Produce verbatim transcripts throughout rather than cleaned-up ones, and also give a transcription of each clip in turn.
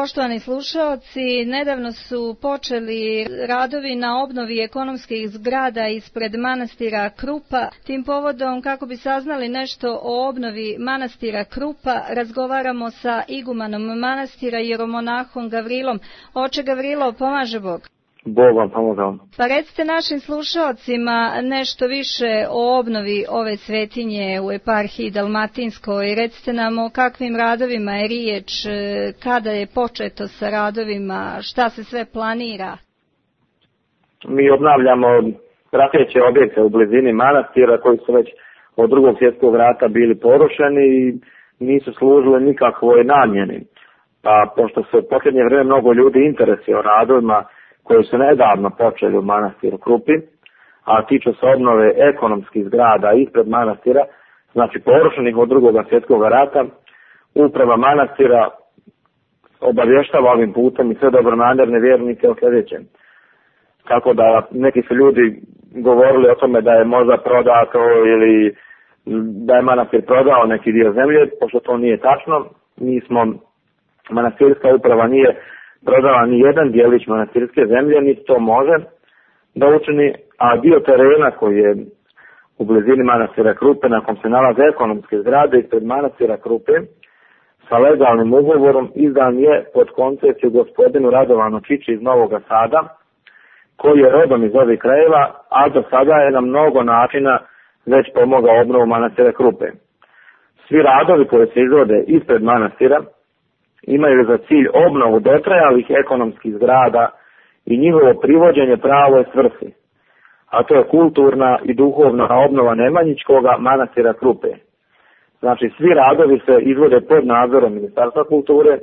Poštovani slušaoci, nedavno su počeli radovi na obnovi ekonomskih zgrada ispred manastira Krupa. Tim povodom, kako bi saznali nešto o obnovi manastira Krupa, razgovaramo sa igumanom manastira jeromonahom Gavrilom. Oče Gavrilo, pomaže Bog. Bog vam pomogao. Pa recite našim slušaocima nešto više o obnovi ove svetinje u eparhiji Dalmatinskoj. Recite nam o kakvim radovima je riječ, kada je početo sa radovima, šta se sve planira. Mi obnavljamo prateće objekte u blizini manastira koji su već od drugog svjetskog rata bili porušeni i nisu služili nikakvoj namjeni. Pa pošto se u posljednje vrijeme mnogo ljudi interesuje o radovima koji su nedavno počeli u manastiru Krupi, a tiču se obnove ekonomskih zgrada ispred manastira, znači porušenih od drugog svjetskog rata, uprava manastira obavještava ovim putem i sve dobronamjerne vjernike o sljedećem. Tako da neki su ljudi govorili o tome da je možda prodato ili da je manastir prodao neki dio zemlje, pošto to nije tačno. Mi smo, manastirska uprava nije prodala ni jedan dijelić manastirske zemlje, niti to može da učini, a dio terena koji je u blizini manastira Krupe, na kom se nalaze ekonomske zgrade ispred manastira Krupe, sa legalnim ugovorom izdan je pod koncesiju gospodinu Radovanu Čiči iz Novog Sada, koji je rodom iz ovih krajeva, a do sada je na mnogo načina već pomogao obnovu manastira Krupe. Svi radovi koji se izvode ispred manastira imaju za cilj obnovu dotrajalih ekonomskih zgrada i njihovo privođenje pravoj svrsi, a to je kulturna i duhovna obnova Nemanjičkoga manastira Krupe. Znači, svi radovi se izvode pod nadzorom Ministarstva kulture,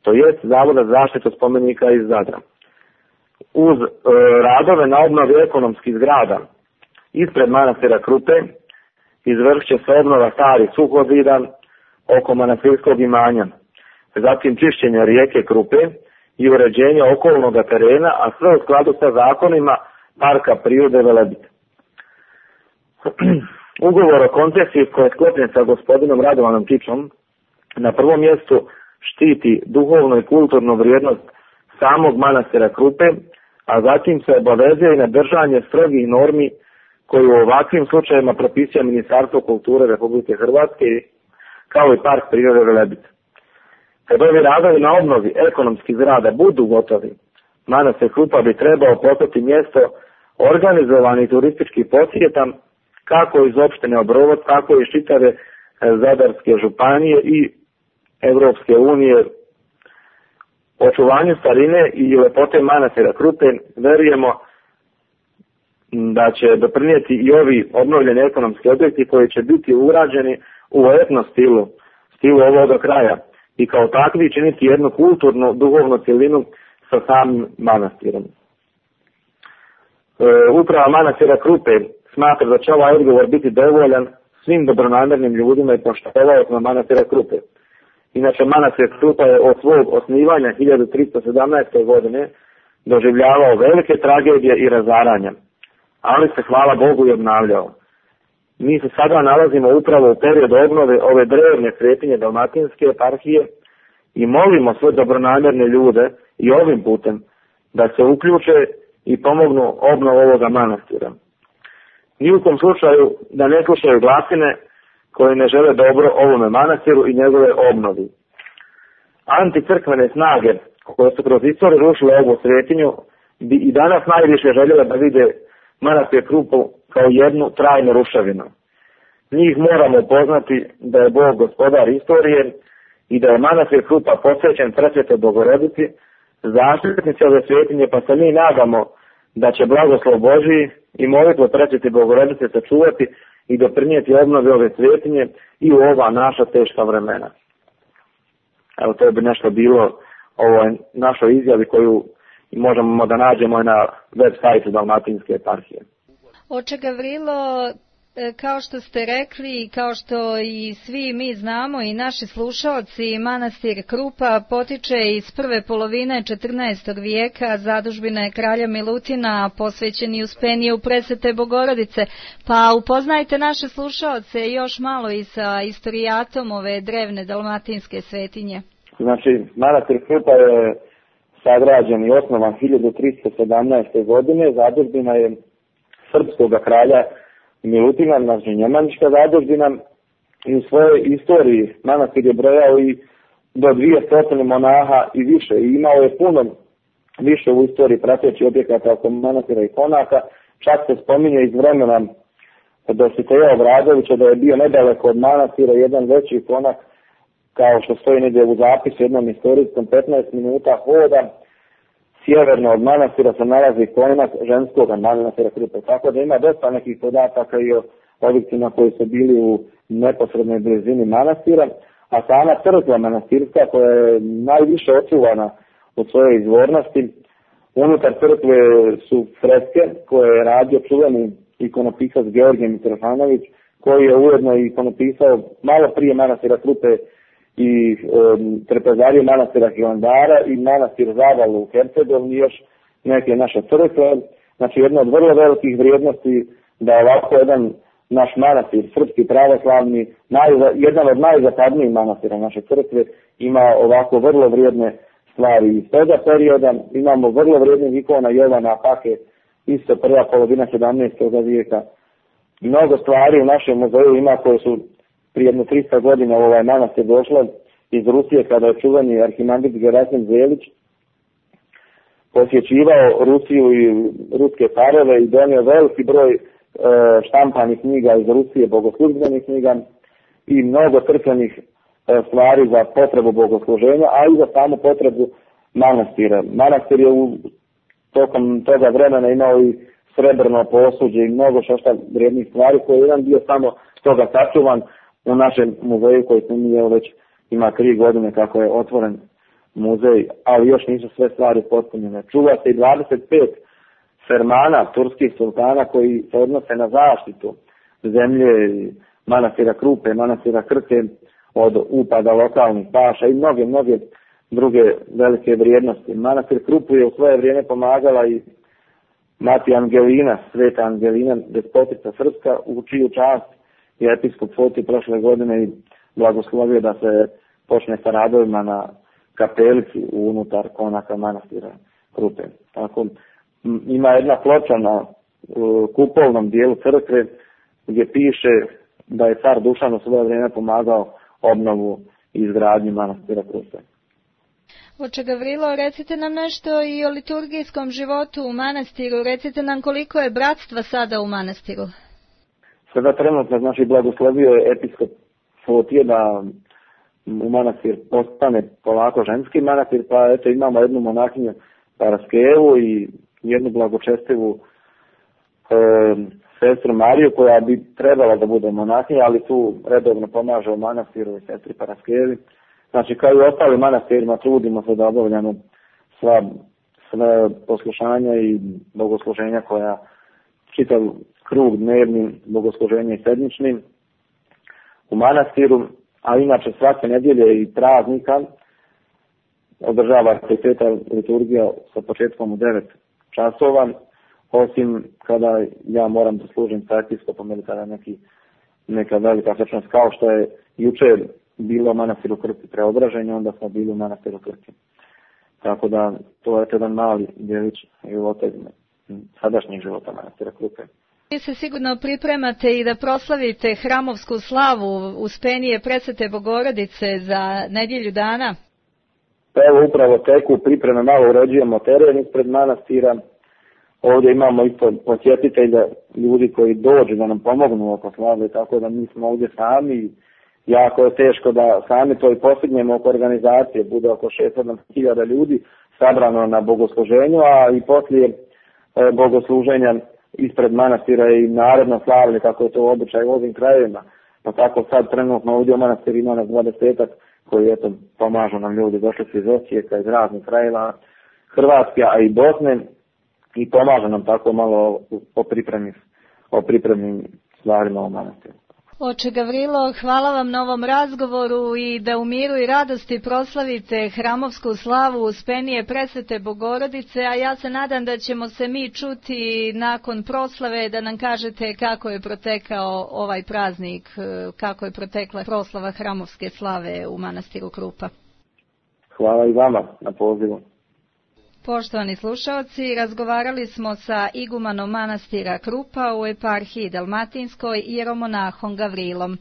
to jest Zavoda za zaštitu spomenika iz Zadra. Uz e, radove na obnovi ekonomskih zgrada ispred manastira Krupe izvršit će se obnova starih suhozida oko manastirskog imanja, zatim čišćenje rijeke Krupe i uređenje okolnog terena, a sve u skladu sa zakonima Parka prirode Velebit. Ugovor o koncesiji koji je sklopljen sa gospodinom Radovanom Čičom na prvom mjestu štiti duhovnu i kulturnu vrijednost samog manastira Krupe, a zatim se obavezuje i na držanje strogih normi koje u ovakvim slučajevima propisuje Ministarstvo kulture Republike Hrvatske kao i Park prirode Velebit. Kad ovi radovi na obnovi ekonomskih zgrada budu gotovi, manastir Krupa bi trebao postati mjesto organizovanih turističkih posjeta kako iz opštine Obrovod, tako i iz čitave Zadarske županije i Evropske unije. Očuvanju starine i lepote manastira Krupe vjerujemo da će doprinijeti i ovi obnovljeni ekonomski objekti koji će biti urađeni u etno stilu, stilu ovoga kraja, i kao takvi činiti jednu kulturnu, duhovnu cjelinu sa samim manastirom. E, uprava manastira Krupe smatra da će ovaj odgovor biti dovoljan svim dobronamjernim ljudima i poštovaocima manastira Krupe. Inače, manastir Krupa je od svog osnivanja hiljadu tristo sedamnaeste. godine doživljavao velike tragedije i razaranja, ali se, hvala Bogu, i obnavljao. Mi se sada nalazimo upravo u periodu obnove ove drevne svetinje Dalmatinske eparhije i molimo sve dobronamjerne ljude i ovim putem da se uključe i pomognu obnovu ovoga manastira. Ni u kom slučaju da ne slušaju glasine koje ne žele dobro ovome manastiru i njegove obnovi. Anticrkvene snage koje su kroz istoriju rušile ovu svetinju bi i danas najviše željele da vide manastir Krupu kao jednu trajnu ruševinu. Njih moramo upoznati da je Bog gospodar istorije i da je manastir Krupa posvećen Presvetoj Bogorodici, zaštitnici ove svetinje, pa se mi nadamo da će blagoslov Božiji i molitva Presvete Bogorodice sačuvati i doprinijeti obnovi ove svetinje i u ova naša teška vremena. Evo, to bi nešto bilo ovoj našoj izjavi koju možemo da nađemo na web sajtu Dalmatinske eparhije. Oče Gavrilo, kao što ste rekli, kao što i svi mi znamo i naši slušaoci, manastir Krupa potiče iz prve polovine četrnaestog vijeka, zadužbina je kralja Milutina, posvećeni uspenije u Presvete Bogorodice. Pa upoznajte naše slušaoce još malo i sa istorijatom ove drevne dalmatinske svetinje. Znači, manastir Krupa je sagrađen i osnovan hiljadu tristo sedamnaeste. godine, zadužbina je srpskog kralja Milutina, znači njemanička zadužbina, i u svojoj istoriji manastir je brojao i do dvjesto monaha i više, i imao je puno više u istoriji pratećih objekata oko manastira i konaka. Čak se spominje iz vremena Dositeja Obradovića da je bio nedaleko od manastira jedan veći konak, kao što stoji negdje u zapisu jednom istorijskom, petnaest minuta hoda sjeverno od manastira se nalazi konak ženskog manastira Krupe. Tako da ima dosta nekih podataka i o objektima koji su bili u neposrednoj blizini manastira, a sama crkva manastirska koja je najviše očuvana od svoje izvornosti, unutar crkve su freske koje je radio čuveni ikonopisac Georgije Mitrofanović, koji je ujedno ikonopisao malo prije manastira Krupe i um, trpezariju manastira Hilandara i manastir Zavalu u Hercegovini i još neke naše crkve. Znači jedna od vrlo velikih vrijednosti da ovako jedan naš manastir, srpski pravoslavni, naj, jedan od najzapadnijih manastira naše crkve, ima ovako vrlo vrijedne stvari iz toga perioda. Imamo vrlo vrijednih ikona Jovana Apake, isto prva polovina sedamnaestog. vijeka. Mnogo stvari u našem muzeju ima koje su prije jedno tristo godina u ovaj manastir došle iz Rusije, kada je čuveni arhimandrit Gerasim Zelić posjećivao Rusiju i ruske careve i donio veliki broj e, štampanih knjiga iz Rusije, bogoslužbenih knjiga i mnogo crkvenih e, stvari za potrebu bogosluženja, a i za samu potrebu manastira. Manastir je u tokom toga vremena imao i srebrno posuđe i mnogo štošta vrijednih stvari koje je jedan dio samo toga sačuvan u našem muzeju koji se nije već ima tri godine kako je otvoren muzej, ali još nisu sve stvari potpunjene. Čuva se i dvadeset pet fermana turskih sultana koji se odnose na zaštitu zemlje manastira Krupe, manastira Krke od upada lokalnih paša i mnoge, mnoge druge velike vrijednosti. Manastir Krupu je u svoje vrijeme pomagala i mati Angelina, sveta Angelina, despotica srpska, u čiju čast je episkop Foti prošle godine i blagoslovio da se počne sa radovima na kapelici unutar konaka manastira Krupe. Tako, ima jedna ploča na uh, kupolnom dijelu crkve gdje piše da je car Dušan u svoje vrijeme pomagao obnovu i izgradnju manastira Krupe. Oče Gavrilo, recite nam nešto i o liturgijskom životu u manastiru. Recite nam koliko je bratstva sada u manastiru. Sada trenutno, znači, blagoslovio je episkop Fotije da u manastir postane polako ženski manastir, pa eto imamo jednu monahinju Paraskevu i jednu blagočestivu e, sestru Mariju koja bi trebala da bude monahinja, ali tu redovno pomaže u manastiru i sestri Paraskevi. Znači, kao i ostali manastirima, trudimo se da obavljamo sva, sve poslušanja i bogosluženja koja čitav krug dnevnim bogosluženja i sedmičnim u manastiru, a inače svake nedjelje i praznika održava se sveta liturgija sa početkom u devet časova, osim kada ja moram da služim sa episkopom ili kada neki, neka velika svečanost, kao što je juče bilo u manastiru Krki preobraženje, onda smo bili u manastiru Krki. Tako da to je jedan mali djelić života, sadašnjeg života manastira Krupe. Vi se sigurno pripremate i da proslavite hramovsku slavu Uspenije Presvete Bogorodice za nedjelju dana. Evo upravo teku pripreme, malo uređujemo teren ispred manastira. Ovdje imamo isto posjetitelja, ljudi koji dođu da nam pomognu oko slave, tako da mi smo ovdje sami. Jako je teško da sami to i postignemo oko organizacije, bude oko šest sedam hiljada ljudi sabrano na bogosluženju, a i poslije e, bogosluženja ispred manastira i naredno slavlje, kako je to običaj u ovim krajevima. Pa tako sad trenutno ovdje u manastiru ima nas dvadesetak koji eto pomažu nam ljudi, došli su iz Osijeka, iz raznih krajeva Hrvatske, a i Bosne, i pomažu nam tako malo o pripremi, o pripremnim stvarima u manastiru. Oče Gavrilo, hvala vam na ovom razgovoru i da u miru i radosti proslavite hramovsku slavu Uspenije Presvete Bogorodice, a ja se nadam da ćemo se mi čuti nakon proslave da nam kažete kako je protekao ovaj praznik, kako je protekla proslava hramovske slave u manastiru Krupa. Hvala i vama na pozivu. Poštovani slušaoci, razgovarali smo sa igumanom manastira Krupa u eparhiji Dalmatinskoj, jeromonahom Gavrilom.